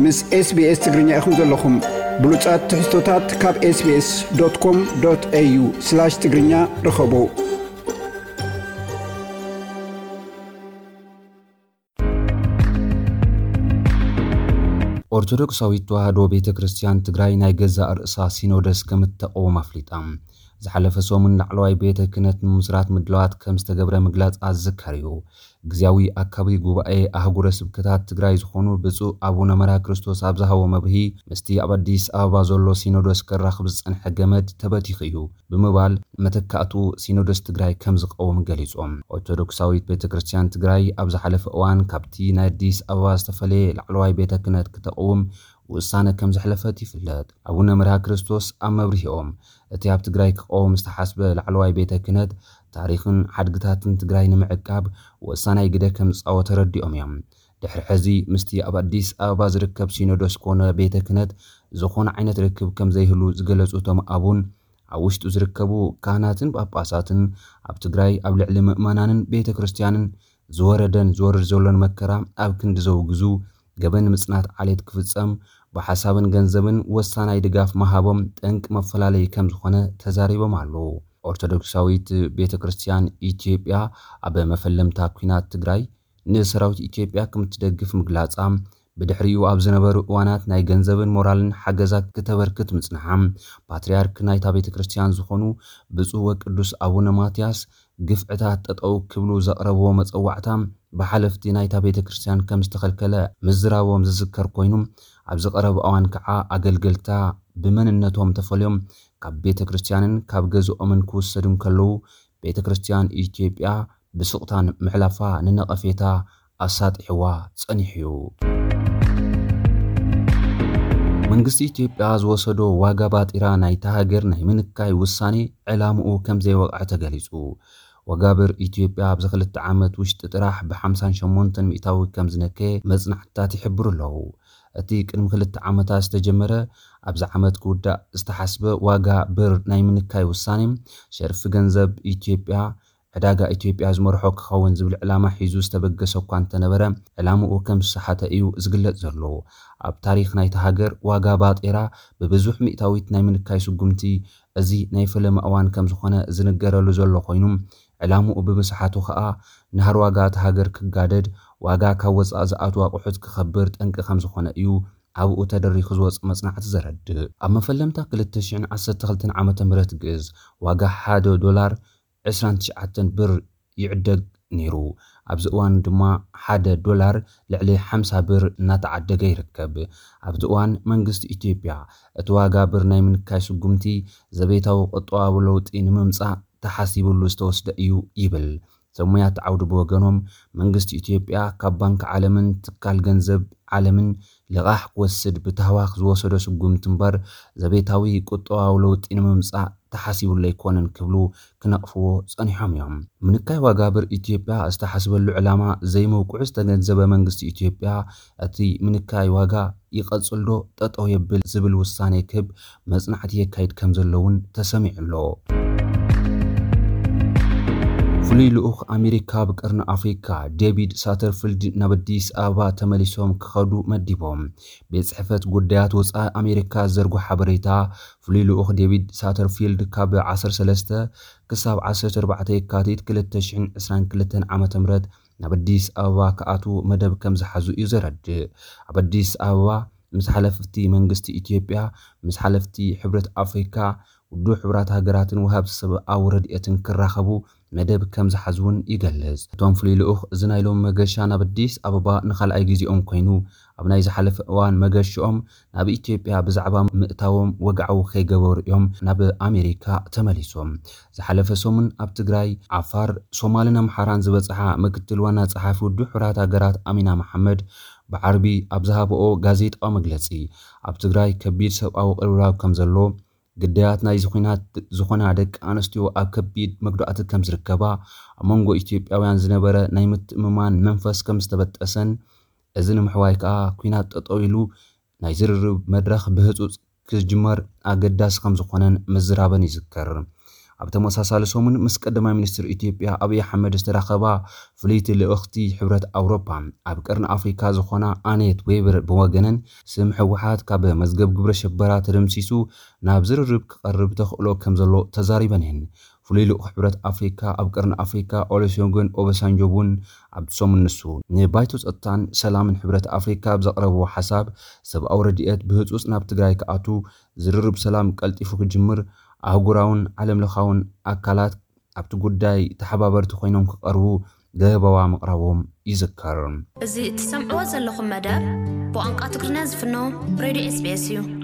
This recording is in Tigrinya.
ምስ SBS ትግርኛ ኢኹም ዘለኹም። ብሉጻት ትሕዝቶታት ካብ SBS.com.au/ትግርኛ ርኸቡ። ኦርቶዶክሳዊት ተዋህዶ ቤተ ክርስቲያን ትግራይ ናይ ገዛእ ርእሳ ሲኖደስ ከም እተቐውም ኣፍሊጣ። ዝሓለፈ ሰሙን ላዕለዋይ ቤተ ክህነት ንምስራት ምድላዋት ከም ዝተገብረ ምግላጽ ኣዝከር እዩ። ግዝያዊ ኣካቢ ጉባኤ ኣህጉረ ስብከታት ትግራይ ዝኾኑ ብፁዕ ኣቡነ መርሃ ክርስቶስ ኣብ ዝሃቦ መብርሂ፣ ምስቲ ኣብ ኣዲስ ኣበባ ዘሎ ሲኖዶስ ከራኽብ ዝጸንሐ ገመድ ተበቲኹ እዩ ብምባል፣ መተካእቱ ሲኖዶስ ትግራይ ከም ዝቐውም ገሊጾም። ኦርቶዶክሳዊት ቤተ ክርስቲያን ትግራይ ኣብ ዝሓለፈ እዋን ካብቲ ናይ ኣዲስ ኣበባ ዝተፈለየ ላዕለዋይ ቤተ ክህነት ክተቕውም ውሳነ ከም ዘሕለፈት ይፍለጥ። ኣቡነ መርሃ ክርስቶስ ኣብ መብርሂኦም፣ እቲ ኣብ ትግራይ ክቐውም ዝተሓስበ ላዕለዋይ ቤተ ክህነት ታሪኽን ሓድግታትን ትግራይ ንምዕቃብ ወሳናይ ግደ ከም ዝጻወተ ረዲኦም እዮም። ድሕሪ ሕዚ ምስቲ ኣብ ኣዲስ ኣበባ ዝርከብ ሲኖዶስ ኮነ ቤተ ክህነት ዝኾነ ዓይነት ርክብ ከም ዘይህሉ ዝገለጹ እቶም ኣቡን፣ ኣብ ውሽጡ ዝርከቡ ካህናትን ጳጳሳትን ኣብ ትግራይ ኣብ ልዕሊ ምእመናንን ቤተ ክርስቲያንን ዝወረደን ዝወርድ ዘሎን መከራ ኣብ ክንዲ ዘውግዙ፣ ገበን ምጽናት ዓሌት ክፍጸም ብሓሳብን ገንዘብን ወሳናይ ድጋፍ ምሃቦም ጠንቂ መፈላለዪ ከም ዝኾነ ተዛሪቦም ኣለዉ። ኦርቶዶክሳዊት ቤተ ክርስቲያን ኢትዮጵያ ኣብ መፈለምታ ኲናት ትግራይ ንሰራዊት ኢትዮጵያ ከም እትደግፍ ምግላጻ፣ ብድሕሪኡ ኣብ ዝነበሩ እዋናት ናይ ገንዘብን ሞራልን ሓገዛት ክተበርክት ምጽንሓ፣ ፓትርያርክ ናይታ ቤተ ክርስቲያን ዝኾኑ ብፁዕ ወቅዱስ ኣቡነ ማትያስ ግፍዕታት ጠጠው ክብሉ ዘቕረብዎ መጸዋዕታ ብሓለፍቲ ናይታ ቤተ ክርስቲያን ከም ዝተኸልከለ ምዝራቦም ዝዝከር ኮይኑ፣ ኣብዚ ቀረብ እዋን ከዓ ኣገልገልታ ብመንነቶም ተፈልዮም ካብ ቤተ ክርስቲያንን ካብ ገዝኦምን ክውሰዱ እንከለዉ፣ ቤተ ክርስቲያን ኢትዮጵያ ብስቕታን ምሕላፋ ንነቐፌታ ኣሳጢሕዋ ጸኒሑ እዩ። መንግስቲ ኢትዮጵያ ዝወሰዶ ዋጋ ባጤራ ናይታ ሃገር ናይ ምንካይ ውሳኔ ዕላምኡ ከም ዘይወቕዐ ተገሊጹ። ዋጋ ብር ኢትዮጵያ ኣብዚ ክልተ ዓመት ውሽጢ ጥራሕ ብ58 ሚእታዊ ከም ዝነከየ መጽናዕትታት ይሕብሩ ኣለዉ። እቲ ቅድሚ ክልተ ዓመታት ዝተጀመረ ኣብዚ ዓመት ክውዳእ ዝተሓስበ ዋጋ ብር ናይ ምንካይ ውሳኔ ሸርፊ ገንዘብ ኢትዮጵያ ዕዳጋ ኢትዮጵያ ዝመርሖ ክኸውን ዝብል ዕላማ ሒዙ ዝተበገሰ እኳ እንተነበረ፣ ዕላምኡ ከም ዝሰሓተ እዩ ዝግለጽ ዘሎ። ኣብ ታሪኽ ናይታ ሃገር ዋጋ ባጤራ ብብዙሕ ሚእታዊት ናይ ምንካይ ስጉምቲ እዚ ናይ ፈለማ እዋን ከም ዝኾነ ዝንገረሉ ዘሎ ኮይኑ፣ ዕላምኡ ብምስሓቱ ከኣ ናህሪ ዋጋ እታ ሃገር ክጋደድ፣ ዋጋ ካብ ወጻኢ ዝኣትዉ ኣቑሑት ክኸብር ጠንቂ ከም ዝኾነ እዩ ኣብኡ ተደሪኹ ዝወጽእ መጽናዕቲ ዘረድእ። ኣብ መፈለምታ ክልተ ሽሕን ዓሰርተ ክልተን ዓመተ ምህረት ግእዝ ዋጋ ሓደ ዶላር ዕስራን ትሽዓተን ብር ይዕደግ ነይሩ። ኣብዚ እዋን ድማ ሓደ ዶላር ልዕሊ ሓምሳ ብር እናተዓደገ ይርከብ። ኣብቲ እዋን መንግስቲ ኢትዮጵያ እቲ ዋጋ ብር ናይ ምንካይ ስጉምቲ ዘቤታዊ ቁጠባዊ ለውጢ ንምምጻእ ተሓሲብሉ ዝተወስደ እዩ ይብል። ሰብ ሞያት ዓውዲ ብወገኖም መንግስቲ ኢትዮጵያ ካብ ባንክ ዓለምን ትካል ገንዘብ ዓለምን ልቓሕ ክወስድ ብታህዋኽ ዝወሰዶ ስጉምቲ እምበር ዘቤታዊ ቁጠባዊ ለውጢ ንምምጻእ ተሓሲቡሉ ኣይኮነን ክብሉ ክነቕፍዎ ጸኒሖም እዮም። ምንካይ ዋጋ ብር ኢትዮጵያ ዝተሓስበሉ ዕላማ ዘይምብቅዑ ዝተገንዘበ መንግስቲ ኢትዮጵያ እቲ ምንካይ ዋጋ ይቐጽል ዶ ጠጠው የብል ዝብል ውሳኔ ክህብ መጽናዕቲ የካይድ ከም ዘሎ እውን ተሰሚዑ ኣሎ። ፍሉይ ልኡኽ ኣሜሪካ ኣብ ቀርኒ ኣፍሪካ ዴቪድ ሳተርፊልድ ናብ ኣዲስ ኣበባ ተመሊሶም ክኸዱ መዲቦም። ቤት ጽሕፈት ጉዳያት ወጻኢ ኣሜሪካ ዘርጎ ሓበሬታ፣ ፍሉይ ልኡኽ ዴቪድ ሳተርፊልድ ካብ ዓሰርተ ሰለስተ ክሳብ ዓሰርተ ኣርባዕተ የካቲት ክልተ ሽሕን ዕስራን ክልተን ዓመተ ምህረት ናብ ኣዲስ ኣበባ ክኣትዉ መደብ ከም ዝሓዙ እዩ ዘረድእ። ኣብ ኣዲስ ኣበባ ምስ ሓለፍቲ መንግስቲ ኢትዮጵያ፣ ምስ ሓለፍቲ ሕብረት ኣፍሪካ፣ ውድብ ሕቡራት ሃገራትን ወሃብቲ ሰብኣዊ ረድኤትን ክራኸቡ መደብ ከም ዝሓዙ እውን ይገልጽ። እቶም ፍሉይ ልኡኽ እዚ ናይ ሎሚ መገሻ ናብ ኣዲስ ኣበባ ንኻልኣይ ግዜኦም ኮይኑ፣ ኣብ ናይ ዝሓለፈ እዋን መገሽኦም ናብ ኢትዮጵያ ብዛዕባ ምእታዎም ወግዓዊ ከይገበሩ እዮም ናብ ኣሜሪካ ተመሊሶም። ዝሓለፈ ሰሙን ኣብ ትግራይ፣ ዓፋር፣ ሶማልን ኣምሓራን ዝበጽሓ ምክትል ዋና ጸሓፊ ውድብ ሕቡራት ሃገራት ኣሚና መሓመድ ብዓርቢ ኣብ ዝሃበኦ ጋዜጣዊ መግለጺ፣ ኣብ ትግራይ ከቢድ ሰብኣዊ ቅልውላው ከም ዘሎ፣ ግዳያት ናይዚ ኲናት ዝኾና ደቂ ኣንስትዮ ኣብ ከቢድ መጉዳእቲ ከም ዝርከባ፣ ኣብ መንጎ ኢትዮጵያውያን ዝነበረ ናይ ምትእምማን መንፈስ ከም ዝተበጠሰን፣ እዚ ንምሕዋይ ከኣ ኲናት ጠጠው ኢሉ ናይ ዝርርብ መድረኽ ብህጹጽ ክጅመር ኣገዳሲ ከም ዝኾነን ምዝራበን ይዝከር። ኣብ ተመሳሳሊ ሰሙን ምስ ቀዳማይ ሚኒስትር ኢትዮጵያ ኣብይ ኣሕመድ ዝተራኸባ ፍልይቲ ልእኽቲ ሕብረት ኣውሮፓ ኣብ ቀርኒ ኣፍሪካ ዝኾና ኣኔት ዌበር ብወገነን፣ ስም ህወሓት ካብ መዝገብ ግብረ ሽበራ ተደምሲሱ ናብ ዝርርብ ክቐርብ ተኽእሎ ከም ዘሎ ተዛሪበን እየን። ፍሉይ ልኡኽ ሕብረት ኣፍሪካ ኣብ ቀርኒ ኣፍሪካ ኦሉሴጉን ኦባሳንጆ እውን ኣብቲ ሰሙን ንሱ ንባይቶ ጸጥታን ሰላምን ሕብረት ኣፍሪካ ብዘቕረብዎ ሓሳብ፣ ሰብኣዊ ረድኤት ብህጹጽ ናብ ትግራይ ክኣቱ፣ ዝርርብ ሰላም ቀልጢፉ ክጅምር፣ ኣህጉራውን ዓለምለኻውን ኣካላት ኣብቲ ጉዳይ ተሓባበርቲ ኮይኖም ክቐርቡ ለበዋ ምቕራቦም ይዝከር። እዚ እትሰምዕዎ ዘለኹም መደብ ብቋንቋ ትግርኛ ዝፍኖ ሬድዮ ኤስቢኤስ እዩ።